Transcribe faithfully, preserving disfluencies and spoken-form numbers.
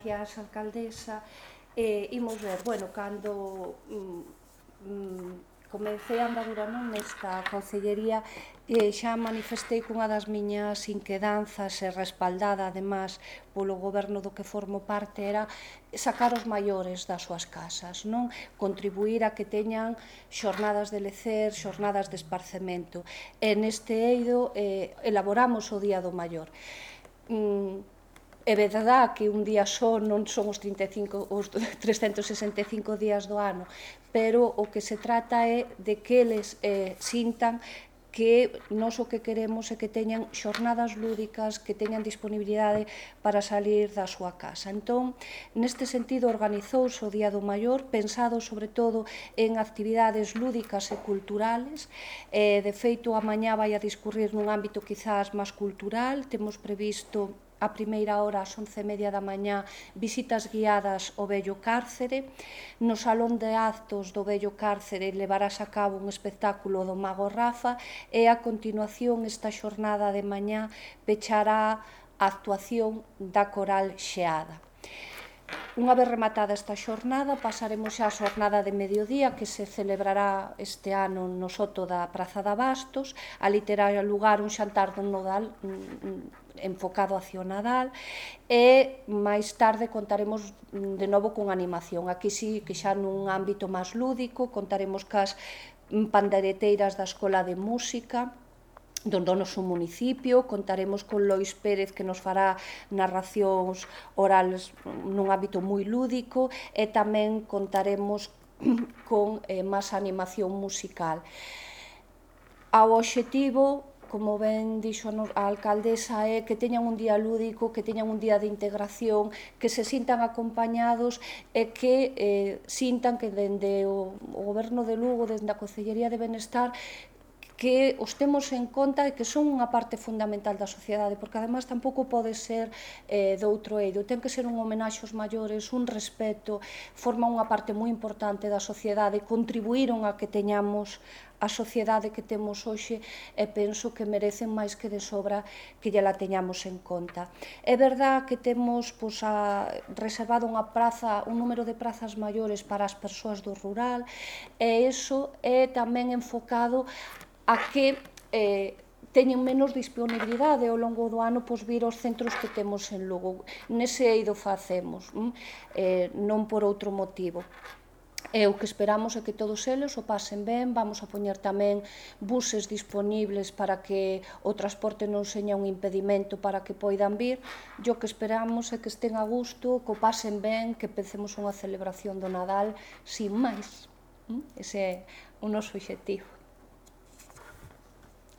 Gracias, alcaldesa. Eh, imos ver, bueno, cando mm, mm, comecei a andadura non nesta concellería, eh, xa manifestei cunha das miñas inquedanzas e respaldada, además, polo goberno do que formo parte, era sacar os maiores das súas casas, non? Contribuir a que teñan xornadas de lecer, xornadas de esparcemento. E neste eido eh, elaboramos o Día do Maior. Mm, É verdade que un día só non son os, trinta e cinco, os trescentos e sesenta e cinco días do ano, pero o que se trata é de que eles eh, sintan que nós o que queremos é que teñan xornadas lúdicas, que teñan disponibilidade para salir da súa casa. Entón, neste sentido, organizouse o Día do Maior, pensado sobre todo en actividades lúdicas e culturales. Eh, de feito, a mañá vai a discurrir nun ámbito quizás máis cultural. Temos previsto a primeira hora, ás once e media da mañá, visitas guiadas ao vello cárcere. No salón de actos do vello cárcere levarás a cabo un espectáculo do Mago Rafa e a continuación esta xornada de mañá pechará a actuación da Coral Xeada. Unha vez rematada esta xornada, pasaremos xa a xornada de mediodía que se celebrará este ano no soto da Praza de Abastos. Ali terá lugar un xantar do Nodal enfocado hacia o Nadal e máis tarde contaremos de novo con animación. Aquí sí que xa nun ámbito máis lúdico, contaremos cas pandereteiras da Escola de Música do noso municipio, contaremos con Lois Pérez que nos fará narracións orales nun ámbito moi lúdico e tamén contaremos con eh, máis animación musical. Ao obxectivo, como ben dixo a alcaldesa, é que teñan un día lúdico, que teñan un día de integración, que se sintan acompañados e que eh, sintan que dende o, o goberno de Lugo, dende a Concellería de Benestar, que os temos en conta e que son unha parte fundamental da sociedade, porque además tampouco pode ser eh, de outro eido, ten que ser un homenaxe aos maiores, un respeto, forma unha parte moi importante da sociedade, contribuíron a que teñamos a sociedade que temos hoxe e penso que merecen máis que de sobra que lla teñamos en conta. É verdad que temos pois, a, reservado unha praza, un número de prazas maiores para as persoas do rural e iso é tamén enfocado a que eh, teñen menos disponibilidade ao longo do ano pois, vir aos centros que temos en Lugo. Nese eido facemos, eh, non por outro motivo. E o que esperamos é que todos eles o pasen ben. Vamos a poñer tamén buses disponibles para que o transporte non seña un impedimento para que poidan vir. E o que esperamos é que estén a gusto, que o pasen ben, que empecemos unha celebración do Nadal sin máis. Ese é o noso obxectivo.